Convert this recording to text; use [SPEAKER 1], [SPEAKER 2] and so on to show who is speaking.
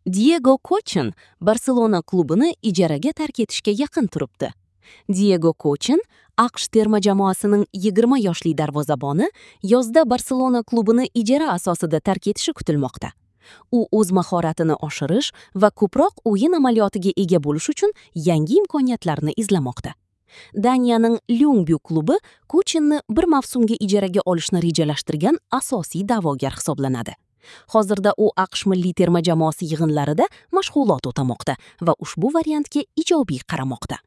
[SPEAKER 1] Diego Kochin Barselona klubini ijaraga tark etishga yaqin turibdi. Diego Kochin, AQSh terma jamoasining 20 yoshli darvozaboni, yozda Barselona klubini ijara asosida tark etishi kutilmoqda. U o'z mahoratini oshirish va ko'proq o'yin amaliyotiga ega bo'lish uchun yangi imkoniyatlarni izlamoqda. Daniyaning Lyungby klubi Kochinni bir mavsumga ijaraga olishni rejalashtirgan asosiy da'vogar hisoblanadi. Hozirda u AQSh milliy terma jamoasi yig'inlarida mashg'ulot o'tamoqda va ushbu variantga ijobiy qaramoqda.